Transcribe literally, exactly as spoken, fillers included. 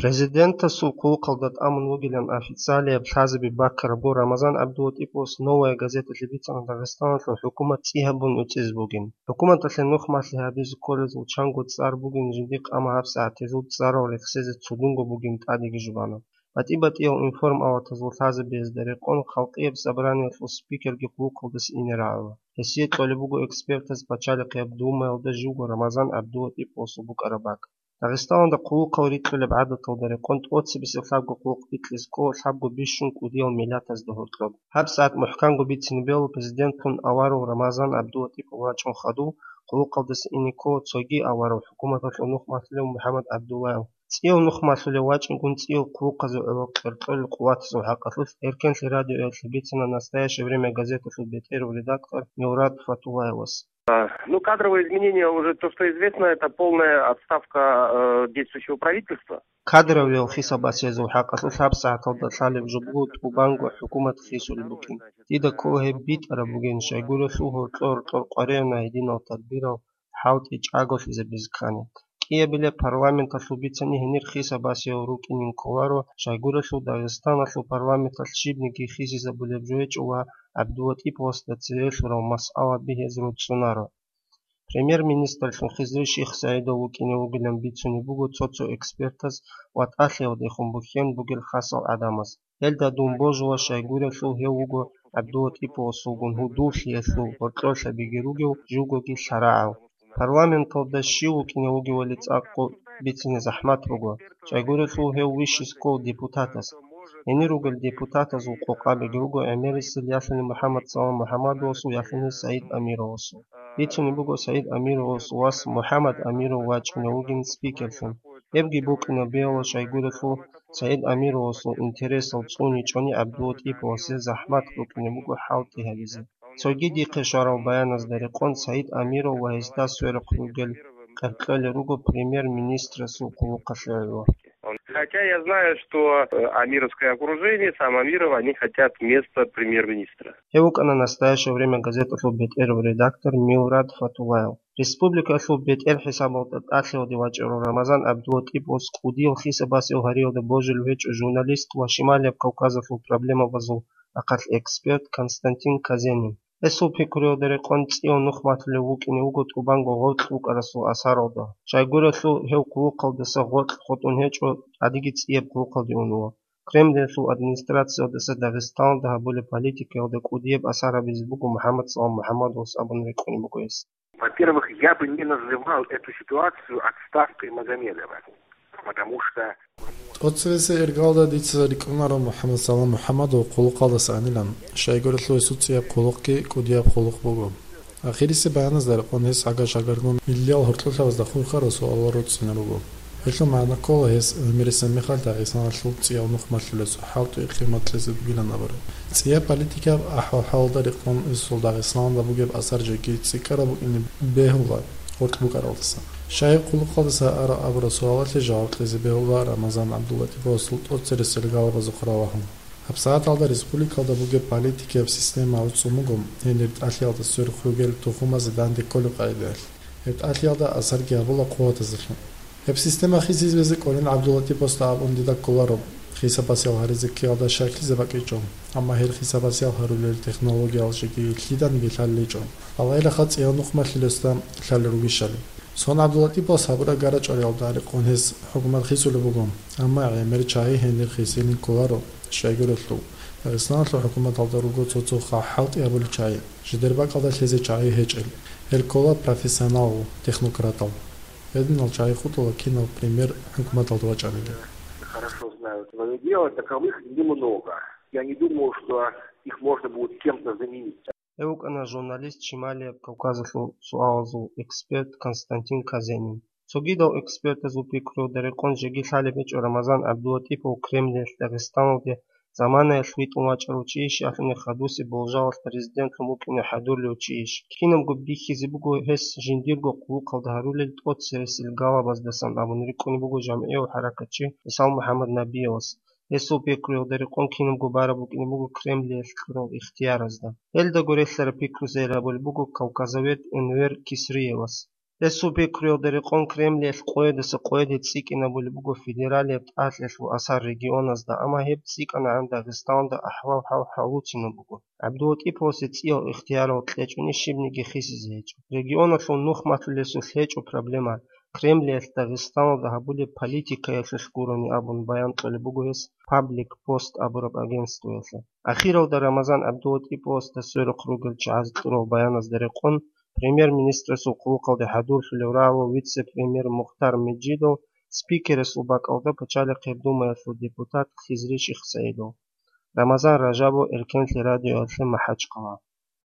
Президентасул хъулухъалда тӀамун вугилан официалияб лъазаби баккарабго, Рамазан ГӀабдулатӀиповас «Новая газеталъе» бицана Дагъистаналъул хӀукумат цӀи гьабун уцӀизе бугин. ХӀукуматалъе нухмалъи гьабизе кколезул чанго цӀар бугин жиндихъ, амма гьабсагӀат гьезул цӀарал рехсезе цудунго бугин тӀадеги жубана. БатӀи-батӀиял информалатазул лъазабиязда рекъон Халкъияб собраниялъул спикерги хъулухъалдаса ине рагӀула. Гьесие кьолеб буго экспертаз Пачалихъияб Думаялда живго Рамазан ГӀабдулатӀиповасул букӀараб бакӀ. Дагъистаналда хъулухъал рикьулеб гӀадаталда рекъон тӀоцебесеб лъабго хъулухъ бикьизе ккола лъабго бищун кӀудиял миллатазда гьоркьоб. ГьабсагӀат мухӀканго бицине бегьула президентун аварав Рамазан ГӀабдулатӀипов вачӀун хадув хъулухъалдаса ине ккола цоги аварав, хӀукуматалъул нухмалъулев МухӀаммад ГӀабдуллаев. ЦӀияв нухмалъулев вачӀингун цӀиял хъулухъазе гӀоло къеркьолел къуватазул хӀакъалъулъ Эркенлъи радиоялъе бицана «Настоящее время» газеталъул бетӀерав редактор Мурад Фатуллаевас. А, ну, кадровые изменения, уже то, что известно, это полная отставка, э, действующего правительства. Кадровиял хисабасиязул хӀакъалъулъ гьабсагӀаталда лъалеб жо буго тӀубанго хӀукумат хисулеб букӀин. Дида ккола гьеб битӀараб бугин, щайгурелъул гьоркьор-гьоркьор къваригӀуна гьединал тадбирал хӀалтӀи чӀаголъизабизе ккани. КӀиабилеб парламенталъул бицани гьенир хисабасиял рукӀинин кколаро, щайгурелъул Дагъистаналъул парламенталъ щибниги хисизабулеб жо гьечӀо ва ГӀабдулатӀиповасда цере лъурал масъала бигьиз руцӀцӀунаро. Премьер-министрлъун Хизри Шихсаидов вукӀине вугилан бицунеб буго цо-цо экспертаз ва тӀалъиялдехун бухьен бугел хасал гӀадамаз. Гьелда дун божула, щайгурелъул гьев вуго ГӀабдулатӀиповасулгун гьудуллъиялъул гьоркьорлъабиги ругев, живгоги лъарагӀав. Парламенталда щив вукӀине вугевали цӀакъго бицине захӀмат буго, щайгурелъул гьев вищис ккол депутатас. Гьенир ругел депутатазул къокъабиги руго гӀемерисел ялъуни МухӀаммад Салам МухӀаммадовасул, ялъуни СагӀид Амировасул. Бицунеб буго СагӀид Амировас вас МухӀаммад Амиров вачӀунев вугин спикерлъун. Гьебги букӀине бегьула, щайгурелъул СагӀид Амировасул интересал цӀуничӀони ГӀабдулатӀиповасе захӀмат букӀине буго хӀалтӀи гьабизе. Цоги дихъе щварал баяназда рекъон СагӀид Амиров ва гьесда сверухъ ругел къеркьолел руго премьер-министрасул хъулухъалъе гӀоло. Хотя я знаю, что, э, амировское окружение, сам Амиров, они хотят место премьер-министра. Гьев вукӀана «Настоящее время» газеталъул бетӀерав редактор Мурад Фатуллаев. Республикалъул бетӀер хӀисабалда тӀалъиялде вачӀарав Рамазан ГӀабдулатӀиповас кӀудиял хисабасев гьариялда божилев гьечӀо журналист ва Шималияб Кавказалъул проблемабазул ахъалъ эксперт Константин Казенин. Гьесул пикруялда рекъон цӀияв нухмалъулев вукӀине вуго тӀубанго гъоркь вукӀарасул асаралда. Щайгурелъул гьев хъулухъалдаса гъоркь хутӀун гьечӀо, тӀадеги цӀияб хъулухъалде унула. Кремльалъул администрациялдаса Дагъистаналда гьабулеб политикаялда кӀудияб асар гьабизе буго МухӀаммад Салам МухӀаммадовас абун рекъунеб буго гьес. Во-первых, я бы не называл эту ситуацию отставкой Магомедова, потому что ТӀоцебесеб иргалда дица рикӀкӀунаро МухӀаммад Салам МухӀаммадов хъулухъалдаса анилан, щайгурелъул гьесул цӀияб хъулухъги кӀудияб хъулухъ буго. Ахирисеб баяназда рекъон гьес гӀага-шагагун миллиял гьоркьорлъабазда хурхарал суалал руцӀцӀине руго. Гьелъул магӀна ккола гьес гӀемерисеб мехалъ Дагъистаналъул цӀияв нухмалъулесул хӀалтӀи къимат кьезе бугилан абураб. ЦӀияб политикаб ахӀвал-хӀалалда рекъон гьесул Дагъистаналда бугеб асар жеги цӀикӀкӀараб букӀине бегьула гъоркь букӀаралдаса. Щай хъулухъалдаса ара абураб суалалъе жаваб кьезе бегьула Рамазан ГӀабдулатӀиповасул тӀоцересел галабазухъ ралагьун. ГьабсагӀаталда республикалда бугеб политикияб система гӀуцӀун буго, гьенир тӀалъиялда сверухъ ругел тухумазе данде кколеб къагӀидаялъ. Гьеб тӀалъиялда асарги гьабула хъуватазелъун. Гьеб система хисизабизе кӀолин ГӀабдулатӀиповасда абун дида кколаро, хисабасиял гьаризе ккеялда щаклъизе бакӀичӀо, амма гьел хисабасиял гьарулел технологиял жеги лъиданиги лъалеличӀо, балагьилаха цӀияв нухмалъулесда лъалел ругищали. Сон ГӀабдулатӀиповас гьабураб гарачӀвариялда рекъон гьес хӀукумат хисулеб буго, амма гӀемер чагӀи гьенир хисилин кколаро, щайгурелъул Дагъистаналъул хӀукуматалда руго цо-цо хӀалтӀи гьабулел чагӀи, жидер бакӀалда лъезе чагӀи гьечӀел. Гьел ккола профессионал технократал. Гьединал чагӀи хутӀула кинав премьер хӀукуматалда вачӀаниги. Хорошо знают своё дело, таковых немного. Я не думаю, что их можно будет кем-то заменить. Гьев вукӀана журналист Шималияб Кавказалъул суалазул эксперт Константин Казенин. Цогидал экспертазул пикруялда рекъон жеги лъалеб гьечӀо Рамазан ГӀабдулатӀипов Кремльалъ Дагъистаналде заманаялъ витӀун вачӀарав чийищ, ялъуни хадусеб болжалалъ президентлъун вукӀине хӀадурлев чийищ. Кинабго бихьизе буго гьес жиндирго хъулухъалда гьарулел тӀоцересел галабаздасан абун рикӀкӀунеб буго жамгӀияв хӀаракатчи ГӀисал МухӀаммад Набиевас. Гьесул пикруялда рекъон кинабго бараб букӀине буго Кремльалъ кьурал ихтияразда. Гьелдаго релълъараб пикру сайрабулеб буго кавказовед Энвер Кисриевас. Гьесул пикруялда рекъон Кремлиялъ къоядаса къояде цӀикӀкӀинабулеб буго федералияб тӀалъиялъул асар регионазда, амма гьеб цӀикӀкӀанагӀан Дагъистаналда ахӀвал-хӀал гьалуцинаб буго. ГӀабдулатӀиповасе цӀиял ихтиярал кьечӀони щибниги хисизе гьечӀо. Регионалъул нух малъулесулъ гьечӀо проблема, Кремлиялъ Дагъистаналда гьабулеб политикаялъулъ гурони абун баян кьолеб буго гьес Паблик Пост абураб агентствоялъе. Ахиралда Рамазан ГӀабдулатӀиповасда сверухъ ругел чагӀазе кьурал баяназда рекъон, премьер-министрасул хъулухъалде хӀадурлъулев рагӀулев вице-премьер Мухтар Меджидов, спикерасул бакӀалда Пачалихъе Думаялъул депутат Хизри Шихсаидов. Рамазан Ражабов, Эркенлъи радиоялъе, МахӀачхъала.